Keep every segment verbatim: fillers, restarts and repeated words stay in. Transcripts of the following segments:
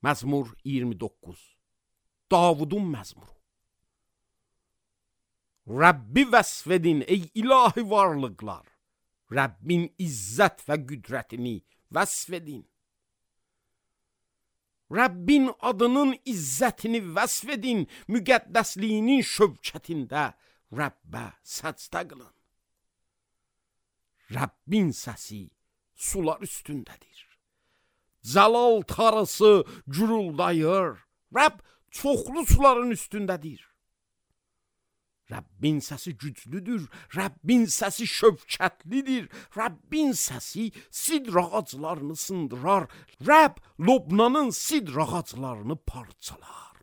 Məzmur iyirmi doqquz. Davudun məzmuru. Rəbbi vəsf edin ey ilahi varlıqlar. Rəbbin izzət və qüdrətini vəsf edin. Rəbbin adının izzətini vəsf edin. Müqəddəsliyinin şövkətində Rəbbə səcdə qılın. Rəbbin səsi sular üstündədir. Cəlal tarısı güruldayır. Rəbb çoxlu suların üstündədir. Rəbbin səsi güclüdür. Rəbbin səsi şövkətlidir. Rəbbin səsi sidr ağaclarını sındırar. Rəbb Lobnanın sidr ağaclarını parçalar.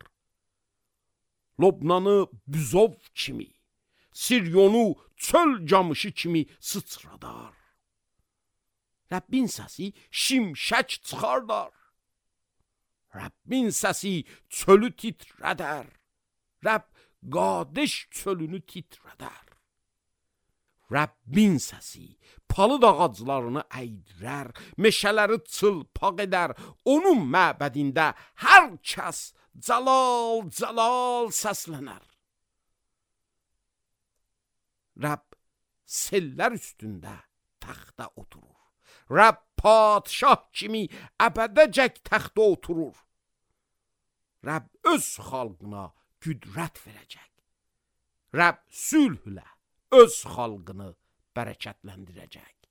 Lobnanı büzov kimi, Siryonu çöl camışı kimi sıçradar. Rəbbin səsi şimşək çıxardar. Rəbbin səsi çölü titrədər. Rəbb Qadeş çölünü titrədər. Rəbbin səsi palıd ağaclarını əydirər, meşələri çılpaq edər. Onun məbədində hər kəs cəlal cəlal səslənər. Rəbb sellər üstündə taxta oturur. Rəbb padşah kimi əbədəcək taxta oturur. Rəbb öz xalqına qüdrət verəcək. Rəbb sülhlə öz xalqını bərəkətləndirəcək.